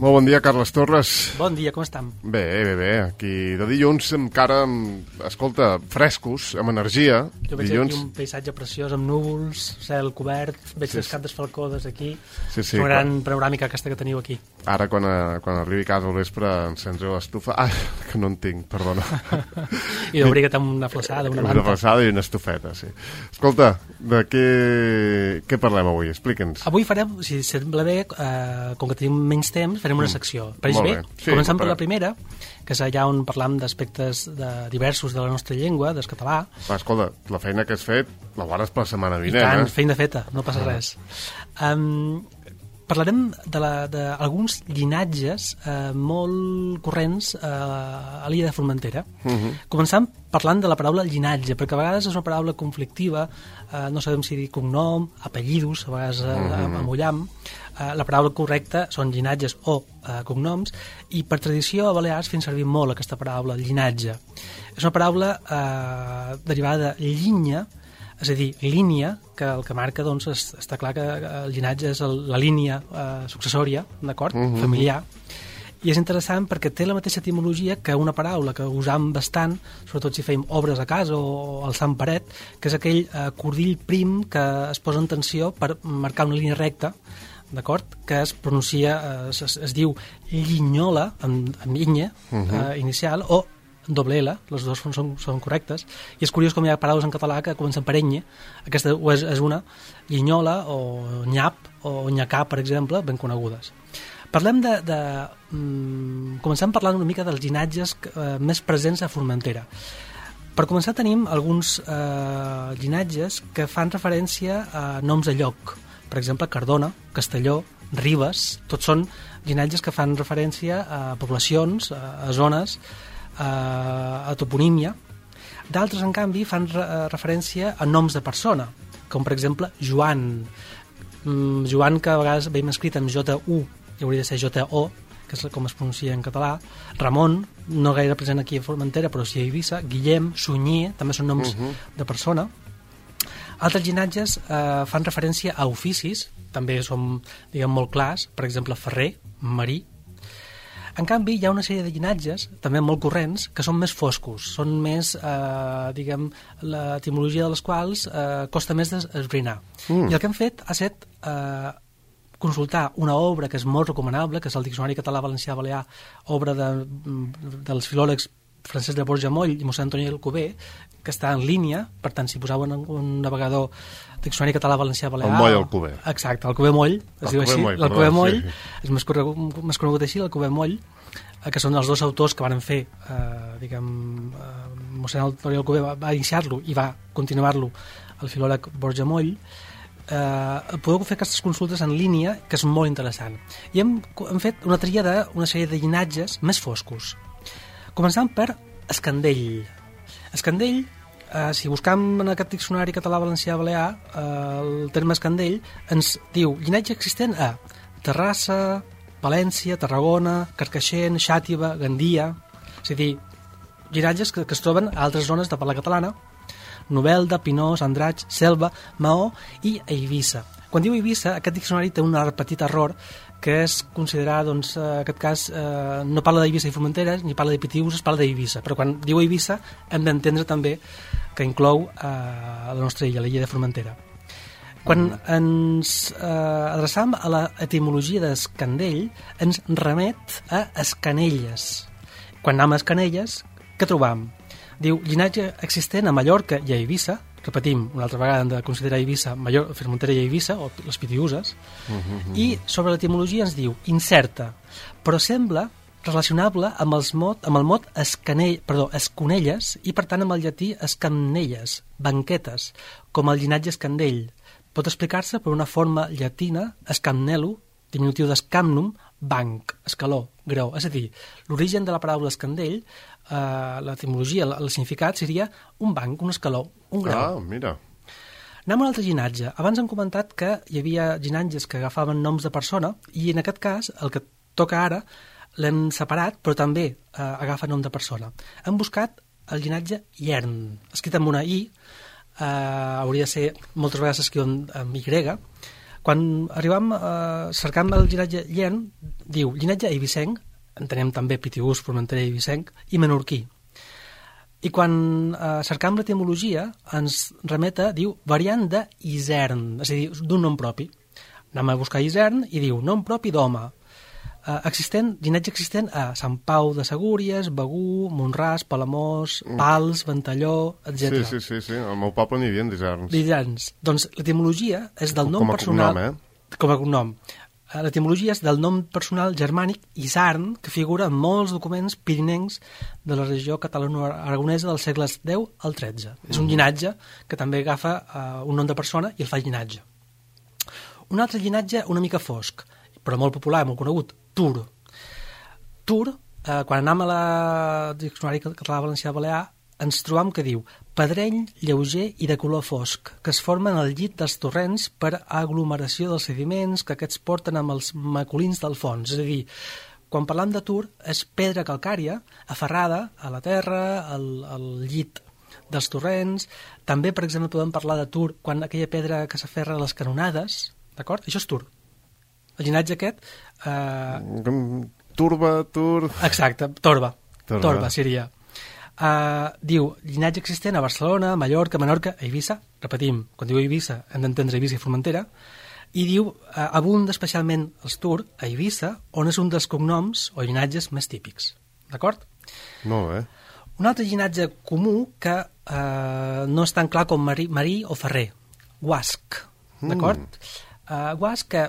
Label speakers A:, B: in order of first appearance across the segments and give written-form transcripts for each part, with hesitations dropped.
A: Molt bon dia, Carles Torres.
B: Bon dia, com estem?
A: Bé. Aquí de dilluns encara, escolta, frescos, amb energia.
B: Jo veig aquí un paisatge preciós amb núvols, cel cobert, veig les cap d'esfalcodes aquí.
A: Sí,
B: una gran panoràmica aquesta que teniu aquí.
A: Ara, quan arribi a casa al vespre, encendré l'estufa. Ah, que no en tinc, perdona.
B: I d'obriga't amb una flaçada, una manta.
A: Una flaçada i una estufeta, sí. Escolta, de què parlem avui? Explica'ns.
B: Avui farem, si sembla bé, com que tenim menys temps, farem una secció. Pareix bé?
A: Sí,
B: començant per la primera, que és allà on parlam d'aspectes diversos de la nostra llengua, del català.
A: Va, escolta, la feina que has fet la guardes per la setmana vinent.
B: I tant, feina feta, no passa res. Parlarem d'alguns llinatges molt corrents a l'illa de Formentera. Començant parlant de la paraula llinatge, perquè a vegades és una paraula conflictiva, no sabem si dir cognom, apellidos, a vegades amollam. La paraula correcta són llinatges o cognoms, i per tradició a Balears fem servir molt aquesta paraula, llinatge. És una paraula derivada de llinya, és a dir, línia, que el que marca, doncs, està clar que el llinatge és la línia successòria, d'acord? Familiar. I és interessant perquè té la mateixa etimologia que una paraula que usam bastant, sobretot si fèiem obres a casa o al sant paret, que és aquell cordill prim que es posa en tensió per marcar una línia recta, d'acord? Que es pronuncia, es diu llinyola, amb nya inicial, o doble L, les dues són correctes, i és curiós com hi ha paraules en català que comencen per enya. Aquesta és una, llinyola o nyap o nyacà, per exemple, ben conegudes. Parlem comencem parlant una mica dels llinatges més presents a Formentera. Per començar tenim alguns llinatges que fan referència a noms de lloc, per exemple Cardona, Castelló, Ribes, tots són llinatges que fan referència a poblacions, a zones, a toponímia. D'altres, en canvi, fan referència a noms de persona, com per exemple Joan. Joan, que a vegades veiem escrit amb J-U, i hauria de ser J-O, que és com es pronuncia en català. Ramon, no gaire present aquí a Formentera, però sí a Eivissa. Guillem, Sunyer, també són noms de persona. Altres llinatges fan referència a oficis, també són, diguem, molt clars, per exemple, ferrer, marí. En canvi, hi ha una sèrie de llinatges, també molt corrents, que són més foscos, són més, diguem, l'etimologia de les quals costa més d'esbrinar. I el que hem fet ha estat consultar una obra que és molt recomanable, que és el Diccionari Català-Valencià-Balear, obra dels filòlegs Francesc de Borja Moll i mossèn Antoni Alcover, que està en línia, per tant, si posaven un navegador Diccionari Català-Valencià-Balear...
A: El Moll Alcover.
B: Exacte, Alcover Moll, es diu així, l'Alcover Moll, és més conegut així, l'Alcover Moll, que són els dos autors que van fer, diguem, mossèn Antoni Alcover va iniciar-lo i va continuar-lo el filòleg Borja Moll. Podeu fer aquestes consultes en línia, que és molt interessant. I hem fet una tria d'una sèrie de llinatges més foscos. Començant per Escandell. Escandell, si buscam en aquest diccionari català-valencià-balear, el terme Escandell ens diu llinatge existent a Terrassa, València, Tarragona, Carcaixent, Xàtiva, Gandia, és a dir, llinatges que es troben a altres zones de parla catalana, Novelda, Pinós, Andratx, Selva, Maó i Eivissa. Quan diu Eivissa, aquest diccionari té un petit error, que és considerar, doncs, en aquest cas, no parla d'Eivissa i Formentera, ni parla de Pitiüses, parla d'Eivissa. Però quan diu Eivissa hem d'entendre també que inclou la nostra illa, la illa de Formentera. Quan ens adreçam a l'etimologia d'Escandell, ens remet a Escanelles. Quan anem a Escanelles, què trobam? Diu, llinatge existent a Mallorca i a Eivissa. Repetim, una altra vegada hem de considerar Eivissa, Formentera i Eivissa, o les Pitiüses, i sobre l'etimologia ens diu incerta, però sembla relacionable amb el mot esconelles i per tant amb el llatí escamnelles, banquetes, com el llinatge Escandell. Pot explicar-se per una forma llatina, escamnello, diminutiu d'escamnum, banc, escaló, greu. És a dir, l'origen de la paraula Escandell, l'etimologia, el significat seria un banc, un escaló, un grau.
A: Ah, mira.
B: Anem a un altre llinatge. Abans hem comentat que hi havia llinatges que agafaven noms de persona i en aquest cas, el que toca ara, l'hem separat, però també agafa nom de persona. Hem buscat el llinatge Iern, escrit amb una I, hauria de ser, moltes vegades s'escriu amb Y, Quan arribam, cercam el llinatge llen, diu llinatge eivissenc, entenem també Pitiús, Formentera i Eivissenc, i menorquí. I quan cercam l'etimologia, ens remeta, diu, variant de Isern, és a dir, d'un nom propi. Anem a buscar Isern i diu, nom propi d'home. Llinatge existent a Sant Pau de Segúries, Begú, Montràs, Palamós, Pals, Ventalló, etc.
A: Sí. Al meu poble n'hi havia d'Iserns.
B: D'Iserns. Doncs l'etimologia és del nom personal... Com a cognom. L'etimologia és del nom personal germànic Isarn, que figura en molts documents pirinencs de la regió catalano-aragonesa dels segles X al XIII. És un llinatge que també agafa un nom de persona i el fa llinatge. Un altre llinatge una mica fosc, però molt popular, molt conegut, Tur. Tur, quan anem a la Diccionari Català-Valencià-Balear, ens trobam que diu pedreny lleuger i de color fosc, que es forma en el llit dels torrents per aglomeració dels sediments que aquests porten amb els maculins del fons. És a dir, quan parlam de Tur, és pedra calcària aferrada a la terra, al llit dels torrents. També, per exemple, podem parlar de Tur quan aquella pedra que s'aferra a les canonades, d'acord? Això és Tur. El llinatge aquest...
A: Tur...
B: Exacte, Torba seria... diu, llinatge existent a Barcelona, Mallorca, Menorca, Eivissa, repetim, quan diu Eivissa hem d'entendre Eivissa i Formentera, i diu, abunda especialment els Tur a Eivissa, on és un dels cognoms o llinatges més típics. D'acord?
A: Molt bé.
B: Un altre llinatge comú que no és tan clar com Marí o Ferrer, Guasc, d'acord? Guasc, que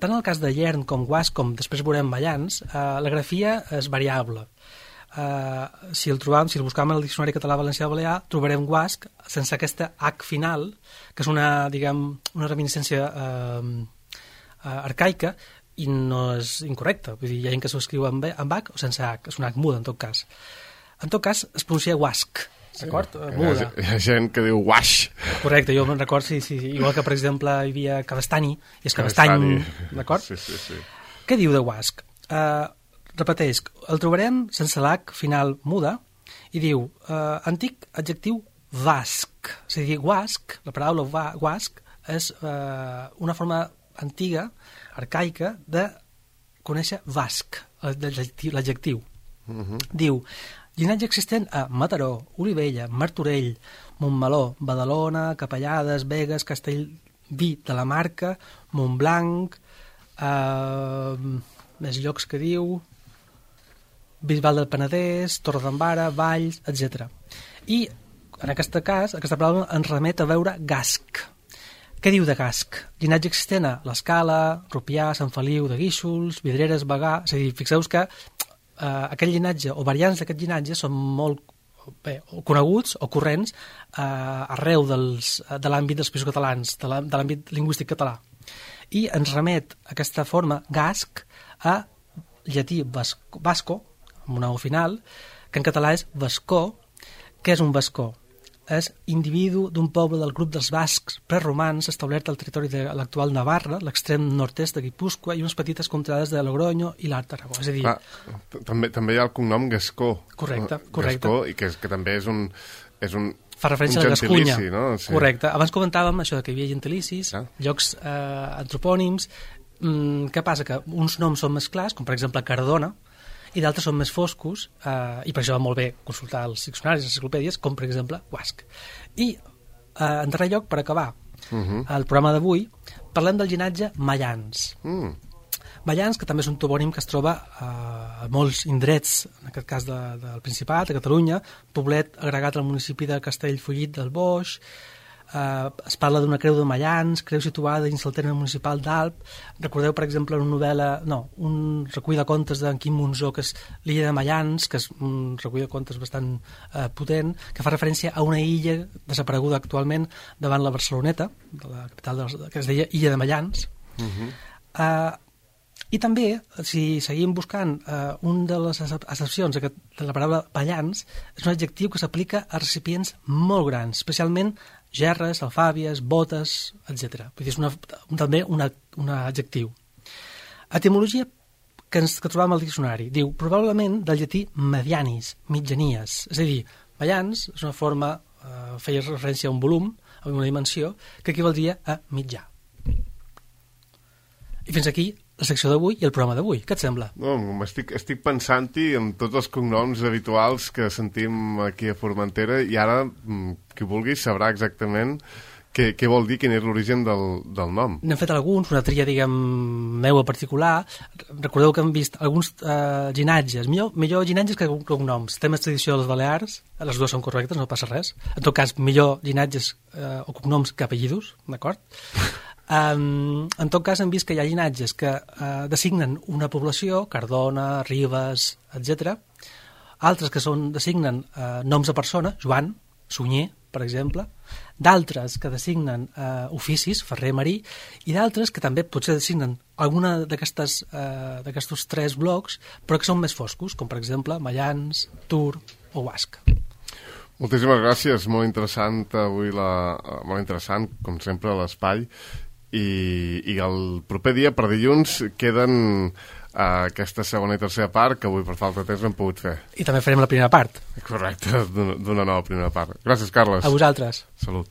B: tant en el cas de Llern com Guasc, com després veurem Mallans, la grafia és variable. Si el buscam en el Diccionari Català-Valencià-Balear, trobarem Guasc sense aquesta H final, que és una reminiscència arcaica i no és incorrecta. Vull dir, hi ha gent que s'ho escriu amb H o sense H, és una H muda en tot cas. En tot cas, es pronuncia Guasc, d'acord? Muda.
A: Hi ha gent que diu Guaix.
B: Correcte, jo me'n record, sí. Igual que, per exemple, hi havia Cabestany, i és Cabestany, d'acord?
A: Sí.
B: Què diu de Guasc? Repeteix, el trobarem sense l'H final muda i diu, antic adjectiu vasc. És a dir, guasc, la paraula guasc és una forma antiga, arcaica, de conèixer vasc, l'adjectiu. Diu, llinatge existent a Mataró, Olivella, Martorell, Montmeló, Badalona, Capellades, Begues, Castellví de la Marca, Montblanc, més llocs que diu... Bisbal del Penedès, Torredembarra, Valls, etc. I, en aquest cas, aquesta paraula ens remet a veure Gasc. Què diu de Gasc? Llinatge existent a l'Escala, Rupià, Sant Feliu de Guíxols, Vidreres, Bagà... És a dir, fixeu-vos que aquest llinatge, o variants d'aquest llinatge, són molt coneguts o corrents arreu de l'àmbit dels països catalans, de l'àmbit lingüístic català. I ens remet aquesta forma Gasc a llatí vasco, amb una O final, que en català és vascó. Què és un vascó? És individu d'un poble del grup dels bascs preromans establert al territori de l'actual Navarra, l'extrem nord-est de Guipúscoa i unes petites contrades de Logroño i l'Alt Aragó. És a dir...
A: També hi ha el cognom Gascó.
B: Correcte.
A: Gascó, i que també és un
B: fa referència a la Gascunya.
A: No? Sí.
B: Correcte. Abans comentàvem això que hi havia gentilicis, llocs antropònims. Què passa? Que uns noms són més clars, com per exemple Cardona, i d'altres són més foscos, i per això va molt bé consultar els diccionaris, les enciclopèdies, com per exemple Guasc. I, en darrer lloc, per acabar el programa d'avui, parlem del llinatge Mallans. Mallans, que també és un topònim que es troba a molts indrets, en aquest cas del Principat, de Catalunya, poblet agregat al municipi de Castellfollit del Boix. Es parla d'una creu de Mallans, creu situada dins el terme municipal d'Alp. Recordeu, per exemple, un recull de contes d'en Quim Monzó, que és l'illa de Mallans, que és un recull de contes bastant potent, que fa referència a una illa desapareguda actualment davant la Barceloneta, de la capital que es deia Illa de Mallans. I també, si seguim buscant, una de les accepcions de la paraula Mallans és un adjectiu que s'aplica a recipients molt grans, especialment gerres, alfàbies, botes, etc. Vull dir, és també un adjectiu. Etimologia que trobam al diccionari. Diu, probablement del llatí medianis, mitjanies. És a dir, Mallans és una forma, feia referència a un volum, a una dimensió, que equivaldria a mitjà. I fins aquí la secció d'avui i el programa d'avui. Què et sembla?
A: No, estic pensant-hi en tots els cognoms habituals que sentim aquí a Formentera i ara, qui vulgui, sabrà exactament què vol dir, quin és l'origen del nom.
B: N'hem fet alguns, una tria, diguem, meua particular. Recordeu que hem vist alguns llinatges, millor llinatges que cognoms. Temes tradició de les Balears, les dues són correctes, no passa res. En tot cas, millor llinatges o cognoms que apellidos, d'acord? En tot cas, hem vist que hi ha llinatges que designen una població, Cardona, Ribes, etc. Altres que designen noms de persona, Joan, Sunyer, per exemple, d'altres que designen oficis, Ferrer, Marí, i d'altres que també potser designen alguna d'aquests tres blocs, però que són més foscos, com per exemple Mayans, Tur o Basc.
A: Moltíssimes gràcies, molt interessant avui, molt interessant, com sempre, l'espai, i el proper dia, per dilluns, queden aquesta segona i tercera part que avui per falta de temps no hem pogut fer.
B: I també farem la primera part.
A: Correcte, d'una nova primera part. Gràcies, Carles.
B: A vosaltres.
A: Salut.